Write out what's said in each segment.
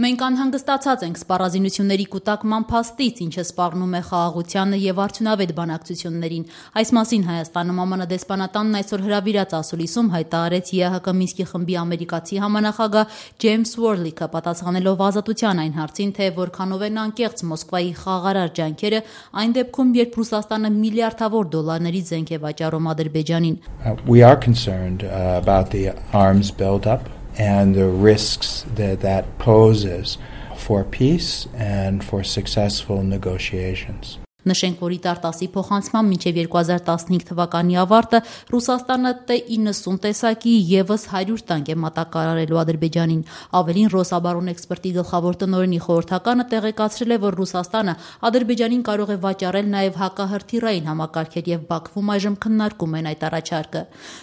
Մենք անհանգստացած ենք սպառազինությունների կուտակման փաստից, ինչը սպառնում է խաղաղությանը եւ արդյունավետ բանակցություններին։ Այս մասին Հայաստանում ԱՄՆ դեսպանատանն այսօր հրավիրած ասուլիսում հայտարարեց ԵԱՀԿ Մինսկի խմբի ամերիկացի համանախագահ Ջեյմս Ուորլիքը, պատասխանելով Ազատության այն հարցին, թե որքանով են անկեղծ Մոսկվայի խաղաղարար ջանքերը այն դեպքում, երբ Ռուսաստանը միլիարդավոր դոլարների զենք է վաճառում Ադրբեջանին։ We are concerned about the arms buildup and the risks that poses for peace and for successful negotiations. Նշենք, որ ԻՏԱՐ-10-ի փոխանցմամբ մինչև 2015 թվականի ավարտը Ռուսաստանը T-90 տեսակի ևս 100 տանկ է մատակարարելու Ադրբեջանին։ Ավելին, Ռոսաբարանէքսպերտի գլխավոր տնօրենի խորհրդականը տեղեկացրել է, որ Ռուսաստանը Ադրբեջանին կարող է վաճառել նաև հակահրթիռային համակարգեր եւ Բաքվում այժմ քննարկում են այդ առաջարկը։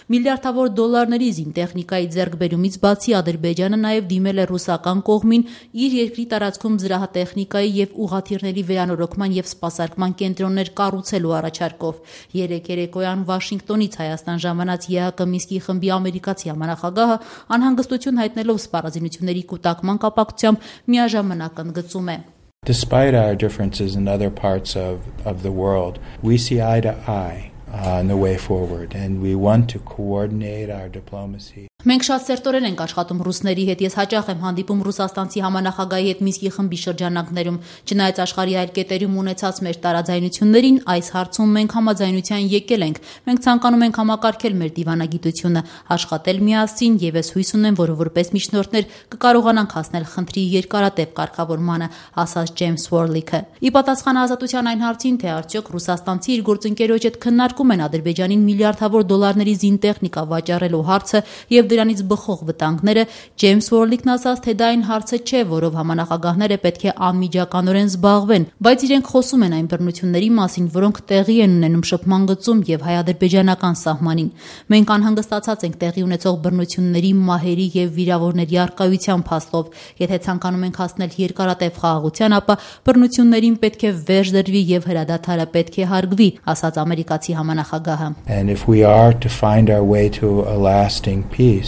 Միլիարդավոր դոլարների զինտեխնիկայի ձեռքբերումից բացի Ադրբեջանը նաև դիմել է ռուսական կողմին իր երկրի տարածքում զրահատեխնիկայի եւ ուղղաթիռների վերանորոգման եւ սպասարկման կենտրոններ կառուցելու առաջարկով։ Երեկ երեկոյան Վաշինգտոնից Հայաստան ժամանած ԵԱՀԿ Մինսկի խմբի ամերիկացի համանախագահը անհանգստություն հայտնելով սպառազինությունների կուտակման կապակցությամբ միաժամանակ ընդգծում է. Despite our differences in other parts of the world, we see eye to eye on the way forward and we want to coordinate our diplomacy. Մենք շատ սերտորեն ենք աշխատում ռուսների հետ, ես հաճախ եմ հանդիպում ռուսաստանցի համանախագահի հետ Մինսկի խմբի շրջանակներում, չնայած աշխարհի այլ կետերում ունեցած մեր տարաձայնություններին, այս հարցում մենք համաձայնության եկել ենք, մենք ցանկանում ենք համակարգել մեր դիվանագիտությունը, աշխատել միասին եւ ես հույս ունեմ, որ որպես միջնորդներ կկարողանանք հասնել խնդրի երկարատև կարգավորմանը, ասաց Ջեյմս Ուորլիքը։ Ի պատասխան Ազատության այն հարցին, թե արդյոք ռուսաստանցի իր գործընկերոջ հետ քննարկում են Ադրբեջանին միլիարդավոր դոլարների զինտեխնիկա վաճառելու հարցը եւ դրանից բխող վտանգները, Ջեյմս Ուորլիքն ասաց, թե դա այն հարցը չէ, որով համանախագահները պետք է անմիջականորեն զբաղվեն, բայց իրենք խոսում են այն բռնությունների մասին, որոնք տեղի են ունենում շփման գծում եւ հայ-ադրբեջանական սահմանին։ Մենք անհանգստացած ենք տեղի ունեցող բռնությունների, մահերի եւ վիրավորների առկայության փաստով։ Եթե ցանկանում ենք հասնել երկարատև խաղաղության, ապա բռնություններին պետք է վերջ դրվի եւ հրադադարը պետք է հարգվի, ասաց ամերիկացի համանախագահը։ And if we are to find our way to a lasting peace,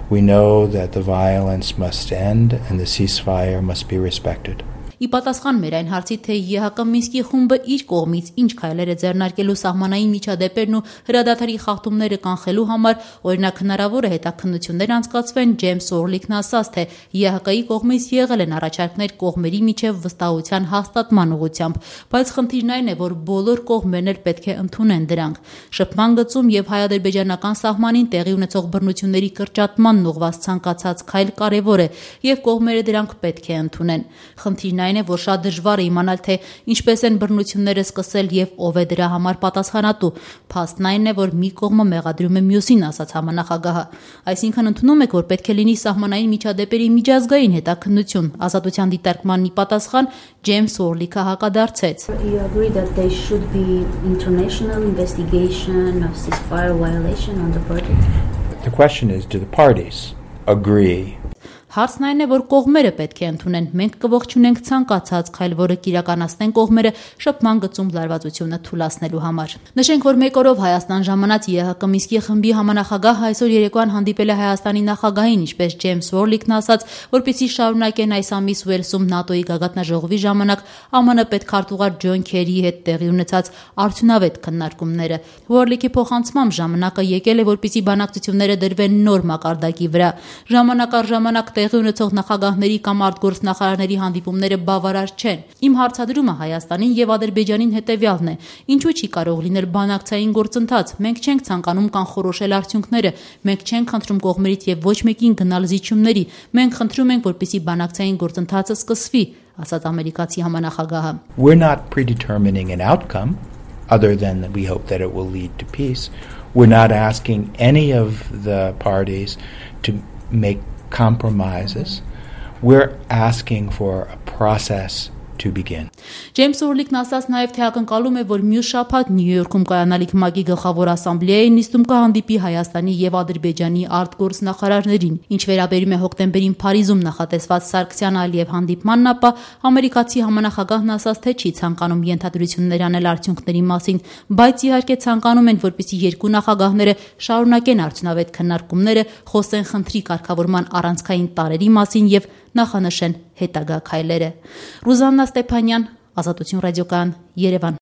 we know that the violence must end and the ceasefire must be respected. Ի պատասխան մեր այն հարցի, թե ԵԱՀԿ Մինսկի խումբը իր կողմից ինչ քայլեր է ձեռնարկելու սահմանային միջադեպերն ու հրադադարի խախտումները կանխելու համար, օրինակ հնարավոր է հետաքննություններ անցկացվեն, Ջեյմս Ուորլիքն ասաց, թե ԵԱՀԿ-ի կողմից եղել են առաջարկներ կողմերի միջև վստահության հաստատման ուղղությամբ, բայց խնդիրն այն է, որ բոլոր կողմերն էլ պետք է ընդունեն դրանք։ Շփման գծում եւ հայ-ադրբեջանական սահմանին տեղի ունեցող բռնությունների կրճատման ուղղված ցանկացած քայլ կարեւոր է եւ կողմերը դրանք պետք է ընդունեն։ Խնդիրն այն է, որ շատ դժվար է իմանալ, թե ինչպես են բռնությունները սկսել եւ ով է դրա համար պատասխանատու։ Փաստն այն է, որ մի կողմը մեղադրում է մյուսին, ասաց համանախագահը։ Այսինքն ընդունում եք, որ պետք է լինի սահմանային միջադեպերի միջազգային հետաքննություն։ Ազատության դիտարկման ի պատասխան Ջեյմս Ուորլիքը հակադարձեց. You agree that there should be international investigation of ceasefire violation on the border? The question is, do the parties agree? Հարցն այն է, որ կողմերը պետք է ընդունեն։ Մենք կողջունենք ցանկացած քայլ, որը կիրականացնեն կողմերը շփման գծում լարվածությունը թույլատնելու համար։ Նշենք, որ մեկ օրով Հայաստան ժամանած ԵԱՀԿ Մինսկի խմբի համանախագահ այսօր երեկոյան հանդիպել է Հայաստանի նախագահին, ինչպես Ջեյմս Ուորլիքն ասաց, որպեսզի շարունակեն այս ամիս Ուելսում ՆԱՏՕ-ի գագաթնաժողովի ժամանակ ԱՄՆ պետքարտուղար Ջոն Քերիի հետ տեղի ունեցած արդյունավետ քննարկումները։ Ուորլիքի փոխանցմամբ ժամանակը եկել է, որպեսզի բանակցությունները դրվեն նոր մակարդակի վրա։ Ժամանակ առ ժամանակ տեղի ունեցող նախագահների կամ արտգործնախարարների հանդիպումները բավարար չեն։ Իմ հարցադրումը Հայաստանին եւ Ադրբեջանին հետեւյալն է. ինչու չի կարող լինել բանակցային գործընթաց։ Մենք չենք ցանկանում կանխորոշել արդյունքները, մենք չենք խնդրում կողմերից եւ ոչ մեկին գնալ զիջումների։ Մենք խնդրում ենք, որպեսզի բանակցային գործընթացը սկսվի, ասաց ամերիկացի համանախագահը։ We're not predetermining an outcome other than that we hope that it will lead to peace. We're not asking any of the parties to make compromises. We're asking for a process to begin. Ջեյմս Ուորլիքն ասաց նաև, թե ակնկալում է, որ մյուս շաբաթ Նյու Յորքում կայանալիք ՄԱԿ-ի գլխավոր ասամբլեայի նիստում կհանդիպի Հայաստանի եւ Ադրբեջանի արտգործնախարարներին։ Ինչ վերաբերում է հոկտեմբերին Փարիզում նախատեսված Սարգսյան-Ալիև հանդիպմանն, ապա ամերիկացի համանախագահն ասաց, թե չի ցանկանում ենթադրություններ անել արդյունքների մասին, բայց իհարկե ցանկանում են, որպեսզի երկու նախագահները շարունակեն արդյունավետ քննարկումները, խոսեն խնդրի կարգավորման առանցքային տարրերի մասին եւ նախանշեն հետագա քայլերը։ Ռուզաննա Ստեփանյան, Ազատություն ռադիոկայան, Երևան։